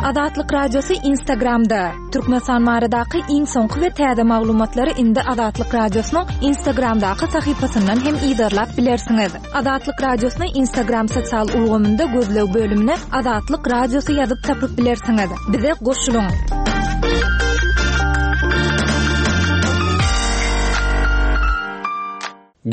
Azatlyk Radiosy Instagramda, Türkmenistan baradaky iň soňky we täze maglumatlary indi Azatlyk Radiosynyň Instagramdaky sahypasyndan hem yzarlap bilersiňiz. Azatlyk Radiosyny Instagram sosial ulgamynda gözleg bölümine Azatlyk Radiosy ýazyp tapyp bilersiňiz. Bize goşulyň!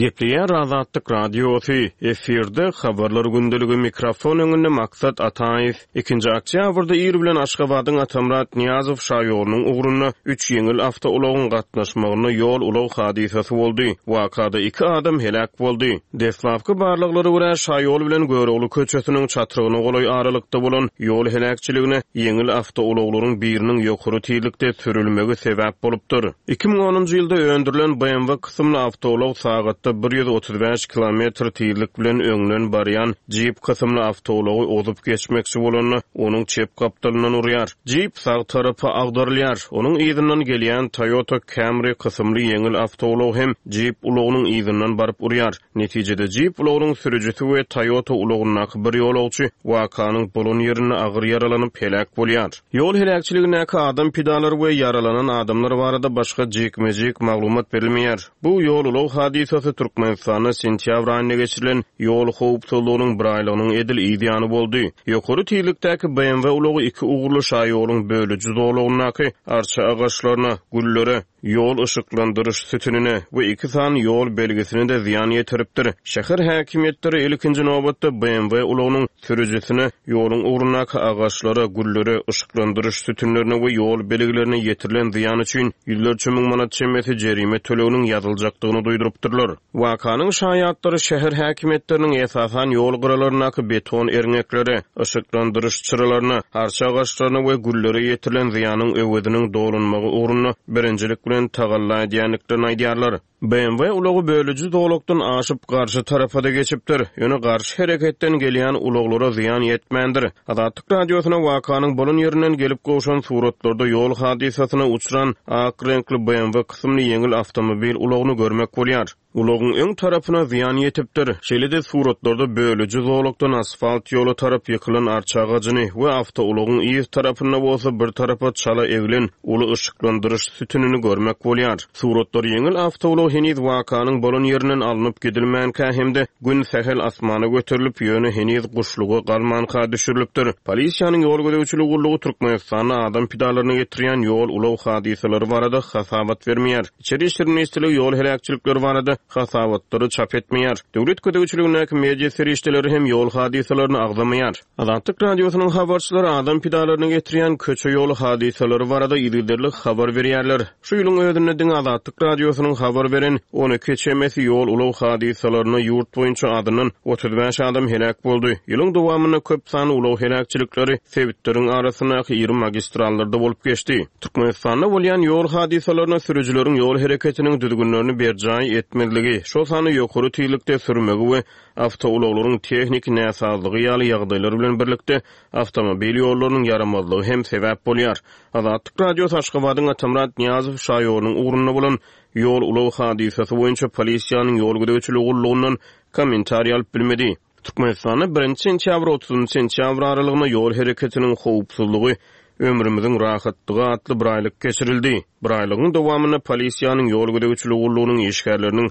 Gepleýär Azatlyk Radiosy, efirde Habarlar gündeligi, mikrofon öňünde Maksat Ataýew. Ikinji oktýabrda ir bilen Aşgabadyň Atamyrat Nyýazow şaýolunyň ugrunda üç ýeňil awtoulagyň gatnaşmagynda ýol-ulag hadysasy boldy. Wakada iki adam heläk boldy. Deslapky barlaglara görä, şaýol bilen Görogly köçesiniň çatrygyna golaý aralykda bolan ýol heläkçiligine ýeňil awtoulaglaryň biriniň ýokary tizlikde sürülmegi sebäp bolupdyr. 2010-njy ýylda öndürilen BMW kysymly awtoulag sagatda 135 kilometr tizlik bilen öňden barýan Jeep kysymly awtoulagy ozup geçmekçi bolanda, onuň çep gapdalyndan urýar. Jeep sag tarapa agdarylýar. Onuň yzyndan gelýän Toyota Camry kysymly ýeňil awtoulag hem Jeep ulagynyň yzyndan baryp urýar. Netijede Jeep ulagynyň sürüjisi we Toyota ulagyndaky bir ýolagçy wakanyň bolan ýerinde agyr ýaralanyp heläk bolýar. Ýol heläkçiligindäki adam pidalary we ýaralanan adamlar barada başga jikme-jik maglumat berilmeýär. Bu ýol-ulag hadysasy Türkmenistanda sentýabr aýynda geçirilen ýol howpsuzlygynyň biraýlygynyň edil yz ýany boldy. Ýokary tizlikdäki BMW ulagy iki ugurly şaýoluň bölüji zolagyndaky arça agaçlaryna, güllere, ýol yşyklandyryş sütünine we iki sany ýol belgisine-de zyýan ýetiripdir. Şäher häkimiýetleri ilkinji nobatda BMW ulagynyň sürüjisine ýoluň ugrundaky agaçlara, güllere, yşyklandyryş sütünlerine we ýol belgilerine ýetirilen zyýan üçin ýüzlerçe müň manat çemesi jerime töleginiň ýazyljakdygyny duýdurypdyrlar. Wakanyň şaýatlary şäher häkimiýetleriniň esasan ýol gyralaryndaky beton erňeklere, yşyklandyryş çyralaryna, arça agaçlaryna we güllere ýetirilen zyýanyň öweziniň dolunmagy ugrunda birinjilik bilen tagalla edýändiklerini aýdýarlar. BMW ulagy bölüji zolakdan aşyp, garşy tarapa-da geçipdir. Ýöne garşy hereketden gelýän ulaglara zyýan ýetmändir. Azatlyk Radiosyna wakanyň bolan ýerinden gelip gowşan suratlarda ýol hadysasyna uçran ak reňkli BMW kysymly ýeňil awtomobil ulagyny görmek bolýar. Ulagyň öň tarapyna zyýan ýetipdir. Şeýle-de suratlarda bölüji zolakdan asfalt ýola tarap ýykylan arça agajyny we awtoulagyň yz tarapynda bolsa bir tarapa çala eglen uly yşyklandyryş sütünini görmek bolýar. Suratlar ýeňil awtoulag heniz wakanyň bolan ýerinden alnyp gidilmänkä hem-de Gün sähel asmana göterilip, ýöne heniz guşluga galmanka düşürilipdir. Polisiýanyň ýol gözegçiligi gullugy Türkmenistanda adam pidalaryna getirýän ýol-ulag hadysalary barada hasabat bermeýär. Içeri işler ministrligi ýol heläkçilikleri barada hasabatlary çap etmeýär. Döwlet gözegçiligindäki media serişdeleri hem ýol hadysalaryny agzamaýar. Azatlyk Radiosynyň habarçylary adam pidalaryna getirýän köçe-ýol hadysalary barada yzygiderli habar berýärler. Şu ýylyň özünde diňe Azatlyk Radiosynyň habar beren 12 çemesi ýol-ulag hadysalarynda ýurt boýunça azyndan 35 adam heläk boldy. Ýylyň dowamynda köp sanly ulag heläkçilikleri sebitleriň arasyndaky iri magistrallarda bolup geçdi. Türkmenistanda bolýan ýol hadysalaryna sürüjileriň ýol hereketiniň düzgünlerini berjaý etmezligi, şol sanda ýokary tizlikde sürmegi we awtoulaglaryň tehniki näsazlygy ýaly ýagdaýlar bilen birlikde awtomobil ýollarynyň ýaramazlygy hem sebäp bolýar. Azatlyk Radiosy Aşgabadyň Atamyrat Nyýazow şaýolunyň ugrunda bolan ýol-ulag hadysasy boýunça polisiýanyň ýol gözegçiligi gullugyndan kommentariý alyp bilmedi. Türkmenistanda birinji sentýabr, otuzynjy sentýabr aralygynda ýol hereketiniň howpsuzlygy, ömrümiziň rahatlygy atly biraýlyk geçirildi. Biraýlygyň dowamynda polisiýanyň ýol gözegçiligi gullugynyň işgärleriniň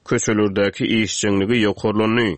Köçelerdäki işjeňligi ýokarlandy.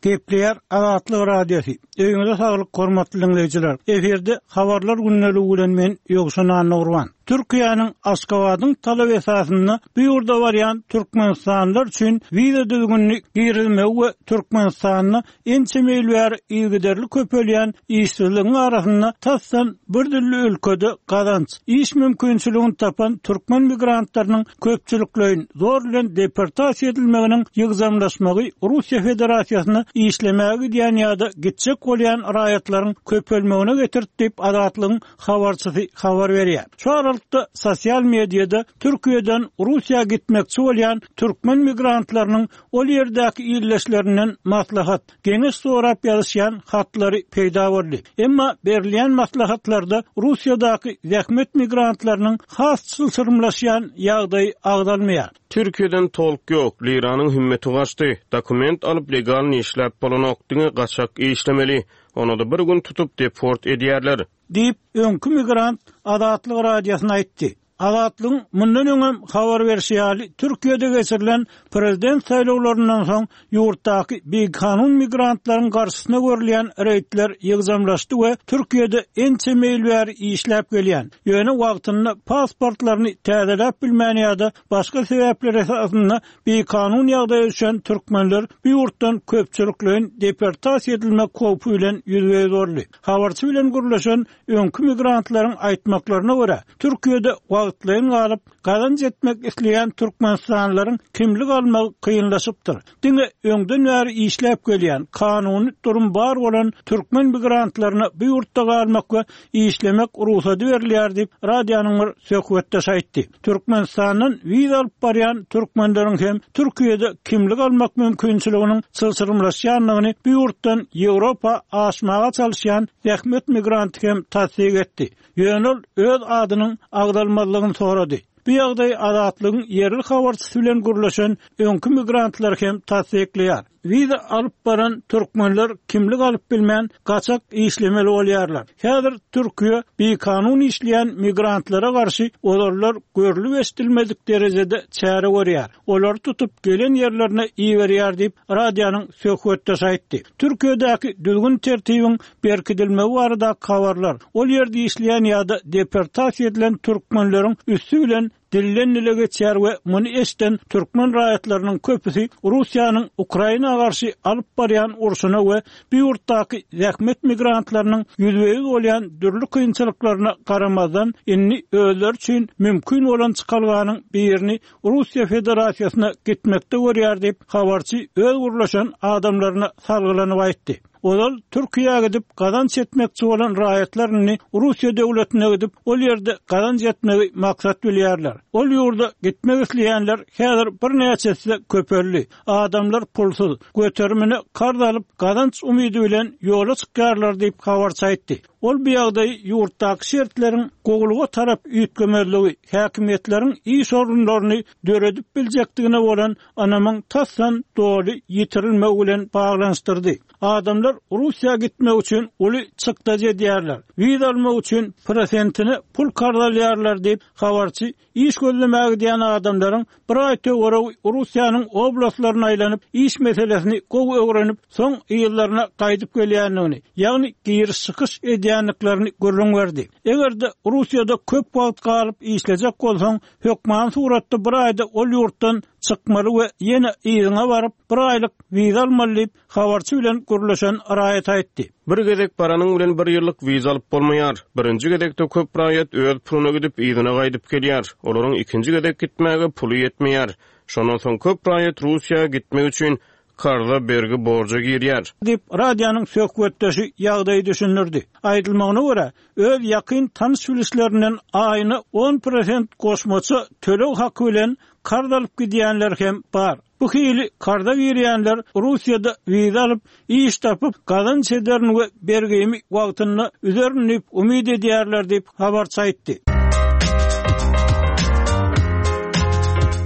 Gepleýär Azatlyk Radiosy. Öýüňize saglyk hormatly diňleýjiler. Efirde Habarlar gündeligi bilen men Ýowşan Annagurban. Türkiýäniň Aşgabadyň talaby esasynda bu ýurda barýan türkmenistanlylar üçin wiza düzgünini girizmegi we Türkmenistanda Ençeme ýyl bäri yzygiderli köpelýän işsizligiň arasynda tasdan bir dürli ülkede gazanç, iş mümkinçiligini tapan türkmen migrantlarynyň köpçülikleýin zor bilen deportasiýa edilmeginiň ýygjamlaşmagy Russiýa Federasiýasyna işlemäge gidýän ýa-da gitjek bolýan raýatlaryň köpelmegine getirdi diýip, Azatlygyň habarçysy habar berýär. Şu aralykda. martda sosial mediada Türkiýeden Russiýa gitmekçi bolýan türkmen migrantlarynyň ol ýerdäki ildeşlerinden maslahat, geňeş sorap ýazyşýan hatlary peýda boldy. Emma berilýän maslahatlarda Russiýadaky zähmet migrantlarynyň has çylşyrymlaşýan ýagdaýy agzalmaýar. Türkiýeden tolk ýok, liranyň hümmeti gaçdy, dokument alyp legalny işläp bolanok, diňe gaçak işlemeli, onada bir gün tutup deport edýärler. Diýip, öňki migrant Azatlyk Radiosyna aýtdy. Azatlygyň mundan öňem habar berşi ýaly, Türkiýede geçirilen prezident saýlawlaryndan soň ýurtdaky bikanun migrantlaryň garşysyna görülýän reýdler ýygjamlaşdy we Türkiýede ençeme ýyl bäri işläp gelýän, ýöne wagtynda pasportlaryny täzeläp bilmän ýa-da başga sebäpler esasynda bikanun ýagdaýa düşen türkmenler bu ýurtdan köpçülikleýin deportasiýa edilmek howpy bilen ýüzbe-ýüz boldy. Habarçy bilen gürleşen öňki migrantlaryň aýtmaklaryna görä, Türkiýede wagtlaýyn galyp, gazanç etmek isleýän türkmenistanlylaryň kimlik almagy kynlaşypdyr. Diňe öňden bäri işläp gelýän, kanuny durum bar bolan türkmen migrantlaryna bu ýurtda galmak we işlemek rugsady berilýär diýip, radionyň bir söhbetdeşi aýtdy. Türkmenistandan wiza alyp barýan türkmenleriň hem Türkiýede kimlik almak mümkinçiliginiň çylşyrymlaşýandygyny bu ýurtdan Ýewropa aşmaga çalyşýan zähmet migranty hem tassyk etdi. Ýöne ol öz adynyň agzalmazlygyny sorady. Bu ýagdaýy Azatlygyň ýerli habarçysy bilen gürleşen öňki migrantlar hem tassyklaýar. Wiza alyp baran türkmenler kimlik alyp bilmän, gaçak işlemeli bolýarlar. Häzir Türkiýe bikanun işleýän migrantlara garşy ozallar görlüp-eşidilmedik derejede çäre görýär. Olary tutup, gelen ýerlerine iberýär diýip, radionyň söhbetdeşi aýtdy. Türkiýedäki düzgün-tertibiň berkidilmegi baradaky habarlar, ol ýerde işleýän ýa-da deportasiýa edilen türkmenleriň üsti bilen dilden-dile geçýär we muny eşiden türkmen raýatlarynyň köpüsi Russiýanyň Ukraina garşy alyp barýan urşuna we bu ýurtdaky zähmet migrantlarynyň ýüzbe-ýüz bolýan dürli kynçylyklaryna garamazdan, indi özleri üçin mümkin bolan çykalganyň birini Russiýa Federasiýasyna gitmekde görýär diýip, habarçy öz gürleşen adamlaryna salgylanyp aýtdy. Ozal Türkiýä gidip gazanç etmekçi bolan raýatlar indi Russiýa döwletine gidip, ol ýerde gazanç etmegi maksat bilýärler. Ol ýurda gitmek isleýänler häzir birnäçe esse köpeldi. Adamlar pulsuz, göterimine karz alyp, gazanç umydy bilen ýola çykýarlar diýip, habarçy aýtdy. Ol bu ýagdaýy ýurtdaky şertleriň gowulyga tarap üýtgemezligi, häkimiýetleriň iş orunlaryny döredip biljekdigine bolan ynamyň tasdan doly ýitirilmegi bilen baglanyşdyrdy. Adamlar Russiýa gitmek üçin uly çykdajy edýärler, wiza almak üçin prosentine pul karz alýarlar diýip, habarçy iş gözlemäge gidýän adamlaryň bir aý töweregi Russiýanyň oblastlaryna aýlanyp, iş meselesini gowy öwrenip, soň yzlaryna gaýdyp gelýändigini, ýagny giriş-çykyş edýändiklerini gürrüň berdi. Eger-de Russiýada köp wagt galyp işlejek bolsaň, hökmany suratda bir aýda ol ýurtdan çykmaly we ýene yzyňa baryp, bir aýlyk wiza almaly diýip, habarçy bilen gürleşen raýat aýtdy. Bir gezek baranyň bilen bir ýyllyk wiza alyp bolmaýar. Birinji gezekde köp raýat öz puluna gidip, yzyna gaýdyp gelýär. Olaryň ikinji gezek gitmäge puly ýetmeýär. Şondan soň köp raýat Russiýa gitmek üçin karza, bergi, borja girýär. Diýip, radionyň söhbetdeşi ýagdaýy düşündirdi. Aýdylmagyna görä, öz ýakyn tanyş-bilişlerinden aýyna on prosent goşmaça töleg haky bilen karz alyp gidýänler hem bar. Bu hili karza girýänler Russiýada wiza alyp, iş tapyp, gazanç ederin we bergimi wagtynda üzerin diýip umyt edýärler diýip, habarçy aýtdy.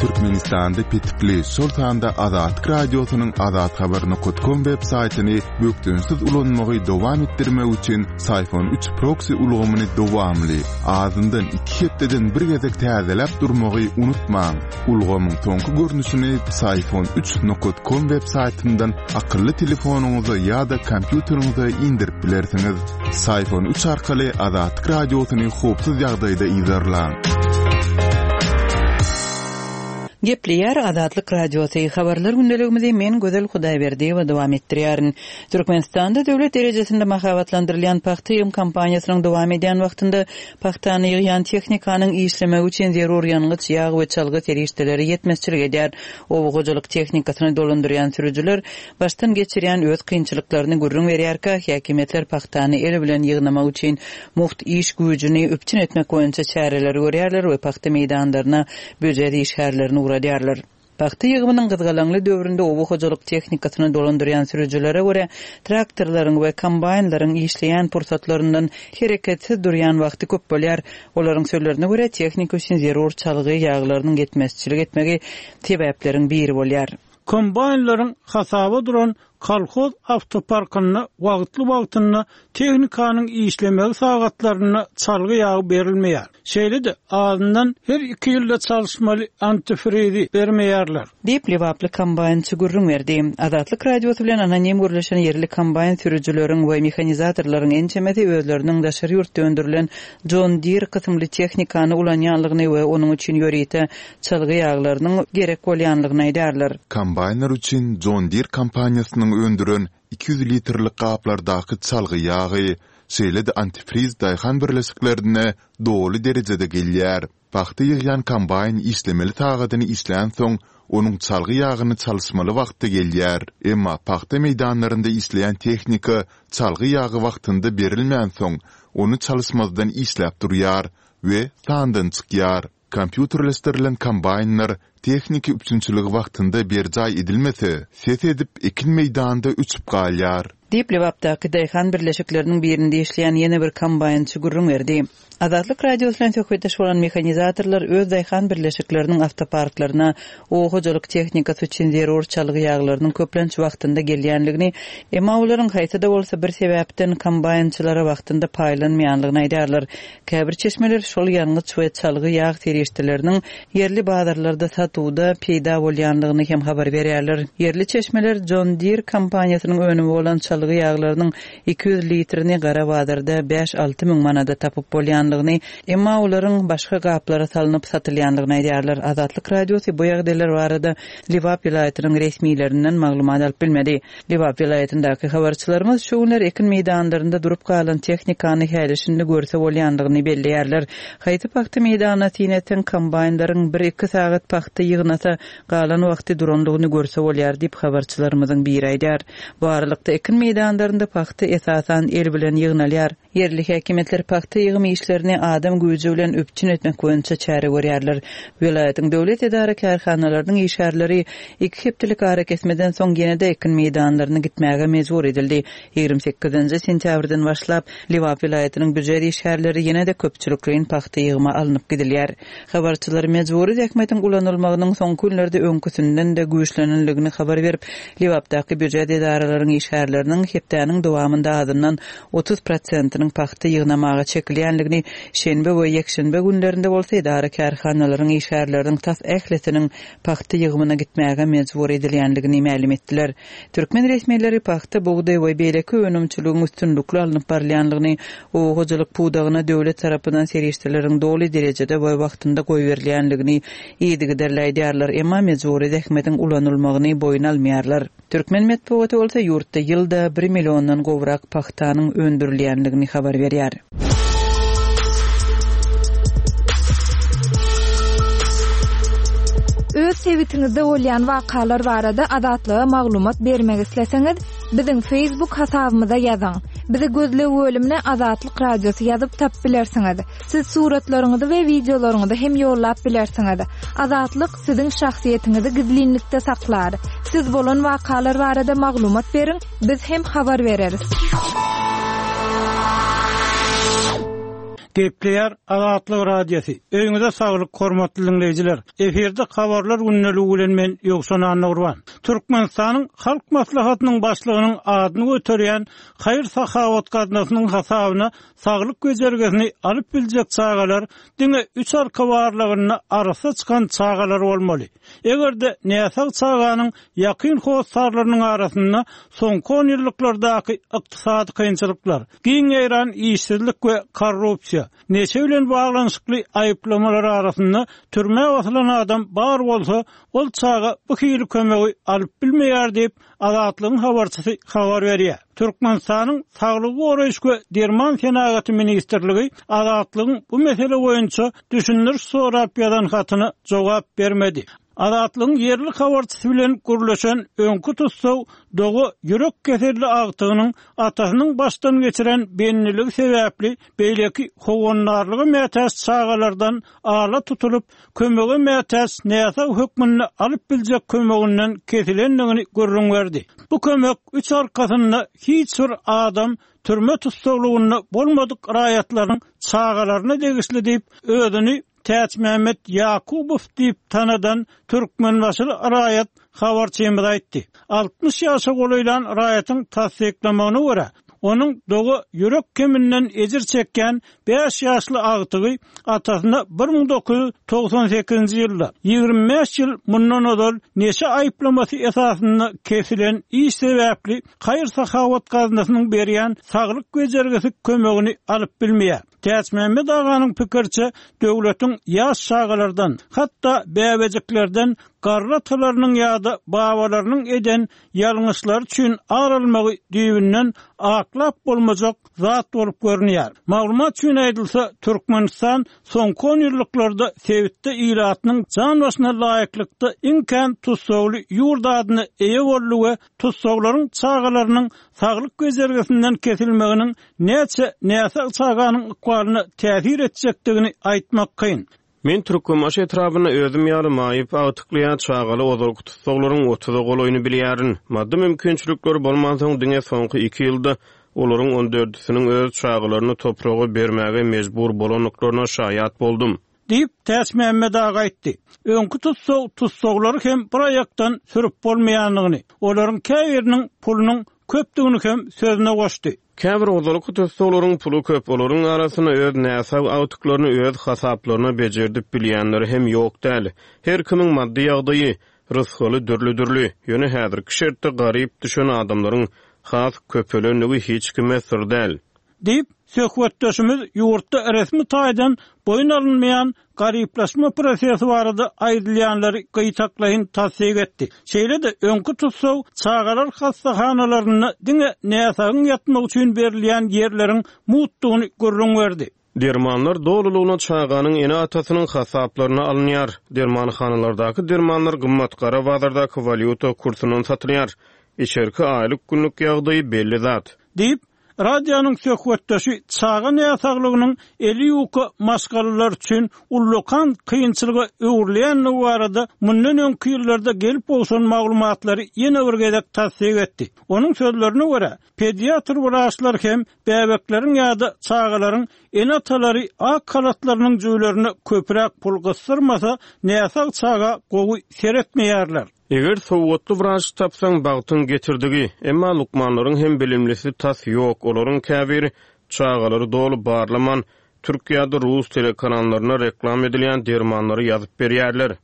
Türkmenistanda petikli, şol sanda Azatlyk Radiosynyň azathabar nokat kom web saýtyny bökdençsiz ulanmagy dowam etdirmek üçin Syfon üç proksi ulgamyny dowamly, azyndan iki hepdeden bir gezek täzeläp durmagy unutmaň. Ulgamyň soňky görnüşini Psiphon üç nokat kom web saýtyndan akylly telefonyňyza ýa-da kompýuteriňize indirip bilersiňiz. Psiphon üç arkaly Azatlyk Radiosyny howpsuz ýagdaýda yzarlaň. Gepleýär Azatlyk Radiosy, Habarlar gündeligimizi men Gözel Hudaýberdiýewa dowam etdirýärin. Türkmenistanda döwlet derejesinde mahabatlandyrylýan pagta ýygym kampaniýasynyň dowam edýän wagtynda pagtany ýygýan tehnikanyň işlemegi üçin zerur ýangyç, ýag we çalgy serişdeleri ýetmezçilik edýär. Oba hojalyk tehnikasyny dolandyrýan sürüjiler başdan geçirýän öz kynçylyklaryny gürrüň berýärkä, häkimiýetler pagtany el bilen ýygnamak üçin mugt iş güýjüni üpjün etmek boýunça çäreleri görýärler we pagta meýdanlaryna býujet işgärlerini ugradýarlar. Pagta ýygymynyň gyzgalaňly döwründe oba hojalyk tehnikasyny dolandyrýan sürüjilere görä, traktorlaryň we kombaýnlaryň işleýän pursatlaryndan hereketsiz durýan wagty köp bolýar. Olaryň sözlerine görä, tehnika üçin zerur çalgy ýaglarynyň ýetmezçilik etmegi sebäpleriň biri bolýar. Kombaýnlaryň hasaba duran kolhoz awtoparkynda wagtly-wagtynda tehnikanyň işlemegi sagatlarynda çalgy ýagy berilmeýär. Şeýle-de, azyndan her iki ýylda çalyşmaly antifrizi bermeýärler. Diýip, lebaply kombaýnçy gürrüň berdi. Azatlyk Radiosy bilen anonim gürleşen ýerli kombaýn sürüjileriň we mehanizatorlaryň ençemesi özleriniň daşary ýurtda öndürilen John Deere kysymly tehnikany ulanýanlygyny we onuň üçin ýörite çalgy ýaglarynyň gerek bolýanlygyny aýdýarlar. Kombaýnlar üçin John Deere kompaniýasynyň öndüren 200 litrlik gaplardaky çalgy ýagy, şeýle-de antifriz daýhan birleşiklerine doly derejede gelýär. Pagta ýygýan kombaýn işlemeli sagadyny işlänsoň, onuň çalgy ýagyny çalyşmaly wagty gelýär. Emma pagta meýdanlarynda işleýän tehnika çalgy ýagy wagtynda berilmänsoň, ony çalyşmazdan işläp durýar we sandan çykýar. Kompýuterleşdirilen kombaýnlar tehniki üpjünçiligi wagtynda berjaý edilmese, ses edip, ekin meýdanda öçüp galýar. Diýip, Lebapdaky daýhan birleşikleriniň birinde işleýän ýene bir kombaýnçy gürrüň berdi. Azatlyk Radiosy bilen söhbetdeş bolan mehanizatorlar öz daýhan birleşikleriniň awtoparklaryna oba hojalyk tehnikasy üçin zerur çalgy ýaglarynyň köplenç wagtynda gelýänligini, emma olaryň haýsy-da bolsa bir sebäpden kombaýnçylara wagtynda paýlanmaýanlygyny aýdýarlar. Käbir çeşmeler şol ýangyç we çalgy ýag serişdeleriniň ýerli bazarlarda satuwda peýda bolýanlygyny hem habar berýärler. Ýerli çeşmeler John Deere kompaniýasynyň önümi bolan çalgy ýaglarynyň 200 litrini gara bazarda bäş-alty müň manada tapyp bolýanlygyny, emma olaryň başga gaplara salnyp satylýanlygyny aýdýarlar. Azatlyk Radiosy bu ýagdaýlar barada Lebap welaýatynyň resmilerinden maglumat alyp bilmedi. Lebap welaýatyndaky habarçylarymyz şu günler ekin meýdanlarynda durup galan tehnikany häli-şindi görse bolýandygyny belleýärler. Haýsy pagta meýdanyna syn etseň, kombaýnlaryň bir-iki sagat pagta ýygnasa, galan wagty durandygyny görse bolýar diýip, habarçylarymyzyň biri aýdýar. Bu aralykda, ekin meýdanlarynda pagta esasan el bilen ýygnalýar. Ýerli häkimiýetler pagta ýygym işlerini adam güýji bilen üpjün etmek boýunça çäre görýärler. Welaýatyň döwlet edara-kärhanalarynyň işgärleri iki hepdelik arakesmeden soň ýene-de ekin meýdanlaryna gitmäge mejbur edildi. 28-nji sentýabrdan başlap, Lebap welaýatynyň býujet işgärleri ýene-de köpçülikleýin pagta ýygyma alnyp gidilýär. Habarçylar mejbury zähmetiň ulanylmagynyň soňky günlerde öňküsinden-de güýçlenenligini habar berip, Lebapdaky býujet edaralaryň işgärleriniň hepdäniň dowamynda azyndan 30 prosentiniň pagta ýygnamaga çekilýändigini, şenbe we ýekşenbe günlerinde bolsa edara-kärhanalaryň işgärleriniň tas ählisiniň pagta ýygymyna gitmäge mejbur edilýändigini mälim etdiler. Türkmen resmileri pagta, bugdaý we beýleki önümçiligiň üstünlikli alnyp barylýandygyny, oba hojalyk pudagyna döwlet tarapyndan serişdeleriň doly derejede we wagtynda goýberilýändigini yzygiderli aýdýarlar, emma mejbury zähmetiň ulanylmagyny boýun almaýarlar. Türkmen metbugaty bolsa ýurtda ýylda bir milliondan gowrak pagtanyň öndürilýändigini habar berýär. Öz sebitiňizde bolýan wakalar barada Azatlyga maglumat bermek isleseňiz, biziň Facebook hasabymyza ýazyň. Bizi gözleg bölümine Azatlyk Radiosy ýazyp tapyp bilersiňiz. Siz suratlaryňyzy we wideolaryňyzy hem ýollap bilersiňiz. Azatlyk siziň şahsyýetiňizi gizlinlikde saklar. Siz bolan wakalar barada maglumat beriň, biz hem habar bereris. Gepleýär Azatlyk Radiosy. Öýüňize saglyk, hormatly diňleýjiler. Efirde habarlar gündeligi bilen men Ýowşan Annagurban. Türkmenistanyň Halk Maslahatynyň Başlygynyň adyny göterýän haýyr-sahawat gaznasynyň hasabyna Saglyk bejergisini alyp biljek çagalar diňe üç arka barlagynda arassa çykan çagalar bolmaly. Eger-de näsag çaganyň ýakyn hossarlarynyň arasynda soňky onýyllyklardaky ykdysady kynçylyklar, giň ýaýran işsizlik we korrupsiýa. boýunça neşe bilen baglanyşykly aýyplamalar arasynda türmä basylan adam bar bolsa, ol çaga bu hili kömegi alyp bilmeýär diýip, Azatlygyň habarçysy habar berýär. Türkmenistanyň Saglygy goraýyş we derman senagaty ministrligi Azatlygyň bu mesele boýunça düşündiriş sorap ýazan hatyna jogap bermedi. Azatlygyň ýerli habarçysy bilen gürleşen öňki tussag doga ýürek keselli agtygynyň atasynyň başdan geçiren bendiligi sebäpli beýleki howandarlyga mätäç çagalardan ala tutulyp, kömege mätäç näsag hökmünde alyp biljek kömeginden kesilendigini gürrüň berdi. Bu kömek üç arkasynda hiç bir adam türme tussaglygynda bolmadyk raýatlaryň çagalaryna degişli diýip, özüni Täçmämmet Ýakubow diýip tanadan türkmenbaşyly raýat habarçymyza aýtdy. 60 ýaşa golaýlan raýatyň tassyklamagyna görä, onuň doga ýürek keminden ejir çekýän bäş ýaşly agtygy atasyna 1998-nji ýylda, 25 ýyl mundan ozal neşe aýyplamasy esasynda kesilen iş sebäpli haýyr-sahawat gaznasynyň berýän saglyk bejergisi kömegini alyp bilmeýär. Täçmämmet aganyň pikiriçe, döwletiň ýaş çagalardan, hatda bäbejiklerden garry atalarynyň ýa-da babalarynyň eden ýalňyşlary üçin ar almagy düýbünden aklap bolmajak zat bolup görünýär. Maglumat üçin aýdylsa, Türkmenistan soňky onýyllyklarda sebitde ilatynyň jan başyna laýyklykda iň kän tussagly ýurt adyna eýe boldy we tussaglaryň çagalarynyň saglyk bejergisinden kesilmeginiň näçe näsag çaganyň ykbalyna täsir etjekdigini aýtmak kyn. Men Türkmenbaşy etrabynda özüm ýaly maýyp agtykly ýa çagaly ozalky tussaglaryň otuza golaýyny bilýärin. Maddy mümkinçilikleri bolmansoň diňe soňky iki ýylda olaryň on dördüsiniň öz çagalaryny topraga bermäge mejbur bolandyklaryna şaýat boldum. Diýip, Täçmämmet aga aýtdy. Öňki tussag tussaglary hem bir aýakdan sürüp bolmaýandygyny, olaryň käbiriniň pulunyň köpdügini hem sözüne goşdy. Käbir ozalky tussaglaryň puly köp, olaryň arasynda öz näsag agtyklaryny öz hasaplaryna bejerdip bilýänleri hem ýok däl. Her kimiň maddy ýagdaýy, rysgaly dürli-dürli. Ýöne häzirki şertde garyp düşen adamlaryň has köpelendigi hiç kime syr däl. Diýip, söhbetdeşimiz ýurtda resmi taýdan boýun alynmaýan garyplaşma prosesi barada aýdylýanlary gytaklaýyn tassyk etdi. Şeýle-de, öňki tussag çagalar hassahanalarynda diňe näsagyň ýatmagy üçin berilýän ýerleriň mugtdugyny gürrüň berdi. Dermanlar dolulygyna çaganyň ene-atasynyň hasaplaryna alynýar. Dermanhanalardaky dermanlar gymmat, gara bazardaky walýuta kursundan satylýar. Içerki aýlyk-günlük ýagdaýy belli zat. Diýip, Radionyň söhbetdeşi çaga näsaglygynyň eli ýuka maşgalalar üçin ullakan kynçylyga öwrülýändigi barada mundan öňki ýyllarda gelip gowşan maglumatlary ýene bir gezek tassyk etdi. Onuň sözlerine görä, pediatr wraçlar hem bäbekleriň ýa-da çagalaryň ene-atalary ak halatlarynyň jübülerine köpräk pul gysdyrmasa, näsag çaga gowy seretmeýärler. Eger sowatly wraç tapsaň, bagtyň getirdigi. Emma lukmanlaryň hem bilimlisi tas ýok, olaryň käbiri çagalary doly barlaman, türk ýa-da rus telekanallarynda reklam edilýän dermanlary ýazyp berýärler.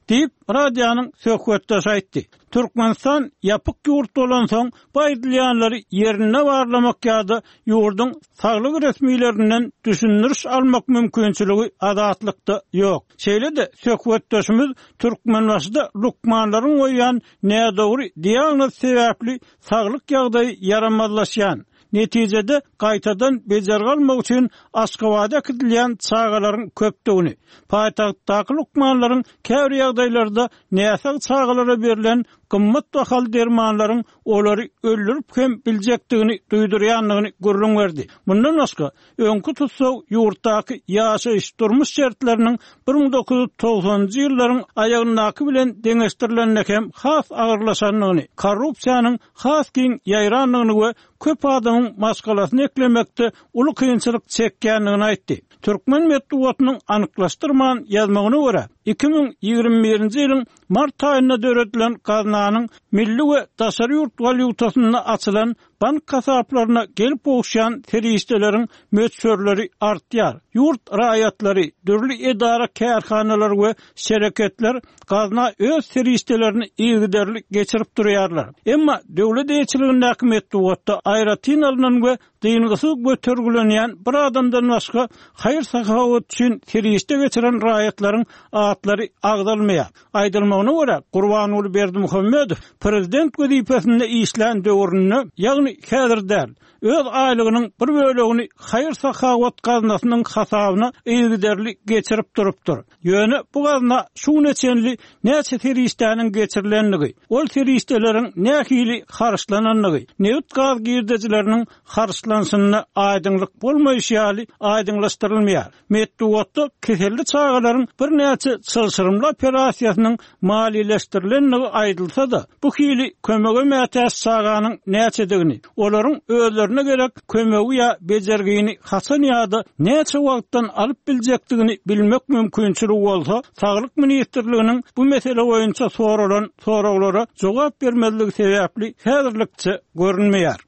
Diýip, radionyň söhbetdeşi aýtdy. Türkmenistan ýapyk ýurt bolansoň, bu aýdylýanlary ýerinde barlamak ýa-da ýurduň saglyk resmilerinden düşündiriş almak mümkinçiligi Azatlykda ýok. Şeýle-de, söhbetdeşimiz Türkmenbaşyda lukmanlaryň goýýan nädogry diagnozy sebäpli saglyk ýagdaýy ýaramazlaşýan, netijede gaýtadan bejergi almak üçin Aşgabada äkidilýän çagalaryň köpdügini, paýtagtdaky lukmanlaryň käbir ýagdaýlarda näsag çagalara berlen gymmat bahaly dermanlaryň olary öldürip hem biljekdigini duýdurýandygyny gürrüň berdi. Mundan başga, öňki tussag ýurtdaky ýaşaýyş-durmuş şertleriniň 1990-njy ýyllaryň aýagyndaky bilen deňeşdirilende hem has agyrlaşandygyny, korrupsiýanyň has giň ýaýrandygyny we köp adamyň maşgalasyny eklemekde uly kynçylyk çekýändigini aýtdy. Türkmen metbugatynyň anyklaşdyrman ýazmagyna görä, 2021-nji ýylyň mart aýynda döredilen gaznanyň milli we daşary ýurt walýutasynda açylan bank hasaplaryna gelip gowuşýan serişdeleriň möçberleri artýar. Ýurt raýatlary, dürli edara-kärhanalar we şereketler gazna öz serişdelerini yzygiderli geçirip durýarlar. Emma döwlet eýeçiligindäki metbugatda aýratyn alnan we dyngysyz götergilenýän bir adamdan başga haýyr-sahawat üçin serişde geçiren raýatlaryň atlary agzalmaýar. Aýdylmagyna görä, Gurbanguly Berdimuhamedow prezident wezipesinde işlän döwründe, ýagny häzir däl, öz aýlygynyň bir bölegini haýyr-sahawat gaznasynyň hasabyna yzygiderli geçirip durupdyr. Ýöne bu gazna şu güne çenli näçe serişdäniň geçirilendigi, ol serişdeleriň nähili harçlanandygy, nebit-gaz girdejileriniň harçlanyşynda aýdyňlyk bolmaýşy ýaly aýdyňlaşdyrylmaýar. Metbugatda keselli çagalaryň birnäçe çylşyrymly operasiýasynyň maliýeleşdirilendigi aýdylsa-da, bu hili kömege mätäç çaganyň näçedigini, olaryň özlerine gerek kömegi ýa bejergini haçan ýa-da näçe wagtdan alyp biljekdigini bilmek mümkinçiligi bolsa, Saglyk ministrliginiň bu mesele boýunça soralan soraglara jogap bermezligi sebäpli häzirlikçe görünmeýär.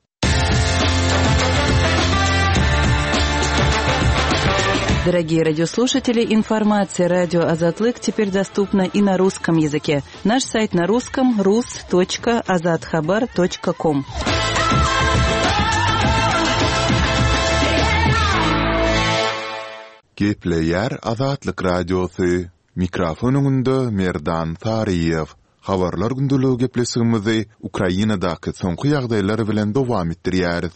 Дорогие радиослушатели, информация радио Азатлык теперь доступна и на русском языке. Наш сайт на русском rus.azathabar.com. Gepleýär Azatlyk Radiosy, Mikrofon öňünde Merdan Saryýew. Habarlar gündeligi gepleşigimizi Ukrainadaky soňky ýagdaýlar bilen dowam etdirýäris.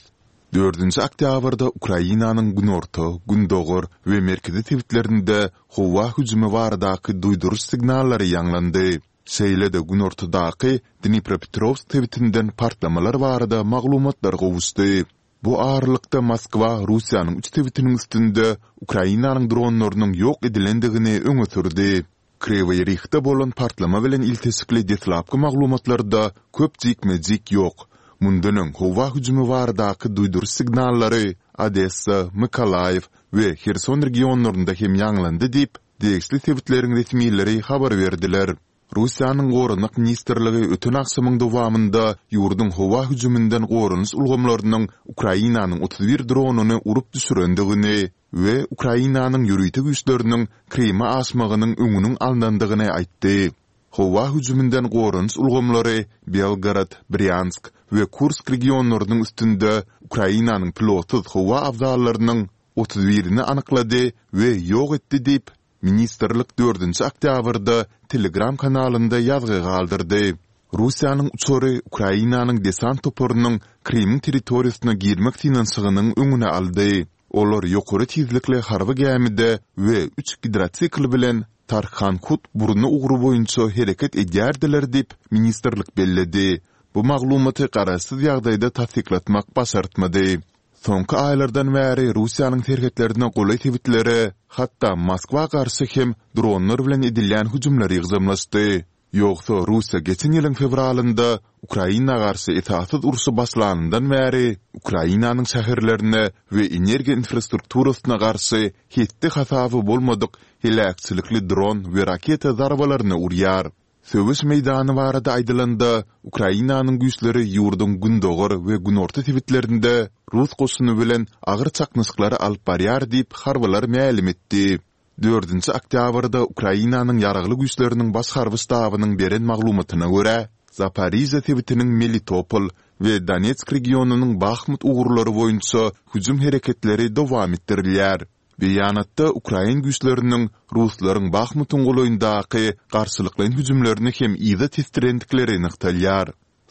Dördünji oktýabrda Ukrainanyň günorta, gündogar we merkezi sebitlerinde howa hüjümi baradaky duýduryş signallary ýaňlandy. Şeýle-de günortadaky Dnipropetrowsk sebitinden partlamalar barada maglumatlar gowuşdy. Bu aralykda Moskwa Russiýanyň üç sebitiniň üstünde Ukrainanyň dronlarynyň ýok edilendigini öňe sürdi. Kriwoý Rihde bolan partlama bilen ilteşikli deslapky maglumatlarda köp jikme-jik ýok. Mundan öň howa hüjümi baradaky duýduryş signallary Odessa, Mykolaýiw we Herson regionlarynda hem ýaňlandy diýip, degişli sebitleriň resmileri habar berdiler. Russiýanyň Goranmak ministrligi öten agşamyň dowamynda ýurduň howa hüjüminden goranyş ulgamlarynyň Ukrainanyň 31 dronyny urup düşürendigini we Ukrainanyň ýörite güýçleriniň Kryma aşmagynyň öňüniň alnandygyny aýtdy. Howa hüjüminden goranyş ulgamlary Belgorod, Brýansk we Kursk regionlarynyň üstünde Ukrainanyň pilotsyz howa abzallarynyň 31-ini anyklady we ýok etdi diýip, Ministrlik dördünji oktýabrda Telegram kanalynda ýazgy galdyrdy. Russiýanyň uçary Ukrainanyň desant toparynyň Krymyň territoriýasyna girmek synanyşygynyň öňüni aldy. Olar ýokary tizlikli harby gämide we üç gidrosikl bilen Tarhankut burny ugry boýunça hereket edýärdiler diýip, ministrlik belledi. Bu maglumaty garaşsyz ýagdaýda tassyklatmak başartmady. Soňky aýlardan bäri Russiýanyň serhetlerine golaý sebitlere, hatda Moskwa garşy hem dronlar bilen edilýän hüjümler ýygjamlaşdy. Ýogsa Russiýa geçen ýylyň fewralynda Ukraina garşy esassyz urşy başlanyndan bäri Ukrainanyň şäherlerine we energiýa infrastrukturasyna garşy hetdi-hasaby bolmadyk heläkçilikli dron we raketa zarbalaryny urýar. Söweş meýdany barada aýdylanda, Ukrainanyň güýçleri ýurduň gündogar we günorta sebitlerinde rus goşuny bilen agyr çaknyşyklary alyp barýar diýip, harbylar mälim etdi. Dördünji oktýabrda Ukrainanyň Ýaragly Güýçleriniň Baş harby ştabynyň beren maglumatyna görä, Zaporižýa sebitiniň Melitopol we Donetsk regionynyň Bahmut ugurlary boýunça hüjüm hereketleri dowam etdirilýär. Beýanatda ukrain güýçleriniň ruslaryň Bahmutyň golaýyndaky garşylyklaýyn hüjümlerini hem yza tesdirendikleri nygtalýar.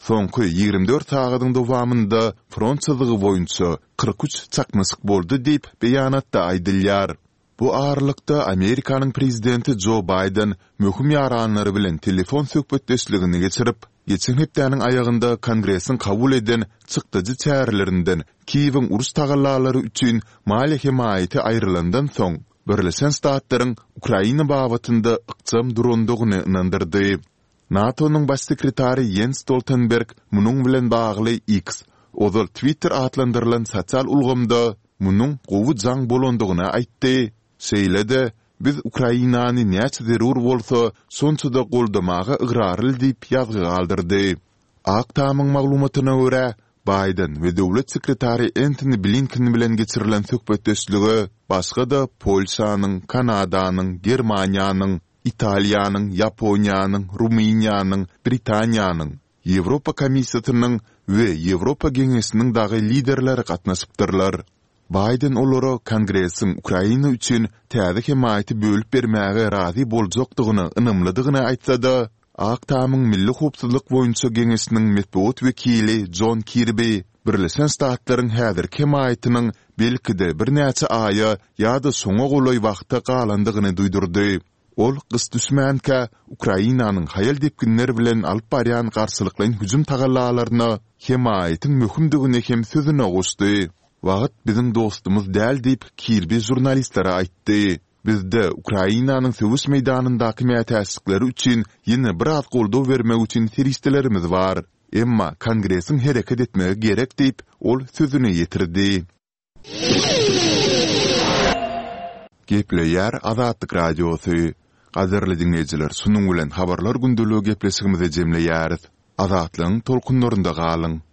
Soňky 24 sagadyň dowamynda front çyzygy boýunça 43 çaknyşyk boldy diýip, beýanatda aýdylýar. Bu aralykda, Amerikanyň prezidenti Jo Baýden möhüm ýaranlary bilen telefon söhbetdeşligini geçirip, geçen hepdäniň aýagynda Kongresiň kabul eden çykdajy çärelerinden Kiýewiň uruş tagallalary üçin maliýe hemaýaty aýrylandan soň, Birleşen Ştatlaryň Ukraina babatynda ykjam durandygyny ynandyrdy. NATO-nyň Baş sekretary Ýens Stoltenberg munuň bilen bagly X, ozal Twitter atlandyrylan sosial ulgamda munuň gowy jaň bolandygyny aýtdy, şeýle-de, Biz Ukrainany näçe zerur bolsa, şonça-da goldamaga ygrarly diýip ýazgy galdyrdy. Ak Tamyň maglumatyna görä, Baýden we döwlet sekretary Entoni Blinken bilen geçirilen söhbetdeşlige başga-da Polşanyň, Kanadanyň, Germaniýanyň, Italiýanyň, Ýaponiýanyň, Rumyniýanyň, Britaniýanyň, Ýewropa Komissiýasynyň we Ýewropa Geňeşiniň dagy liderleri gatnaşypdyrlar. Baýden olara Kongresiň Ukraina üçin täze hemaýaty bölüp bermäge razy boljakdygyna ynamlydygyny aýtsa-da, Ak Tamyň Milli howpsuzlyk boýunça geňeşiniň metbugat wekili Jon Kirbi Birleşen Ştatlaryň häzirki hemaýatynyň belki-de birnäçe aýa ýa-da şoňa golaý wagta galandygyny duýdurdy. Ol gyş düşmänkä Ukrainanyň haýal depginler bilen alyp barýan garşylyklaýyn hüjüm tagallalaryna hemaýatyň möhümdigini hem sözüne goşdy. Wagt biziň dostumyz däl diýip, Kirbi žurnalistlere aýtdy. Bizde Ukrainanyň söweş meýdanyndaky mätäçlikleri üçin ýene biraz goldaw bermek üçin serişdelerimiz bar. Emma Kongresiň hereket etmegi gerek diýip, ol sözüni ýetirdi. Gepleýär Azatlyk Radiosy. Gadyrly diňleýjiler, şunuň bilen Habarlar gündeligi gepleşigimizi jemleýäris. Azatlygyň tolkunlarynda galyň!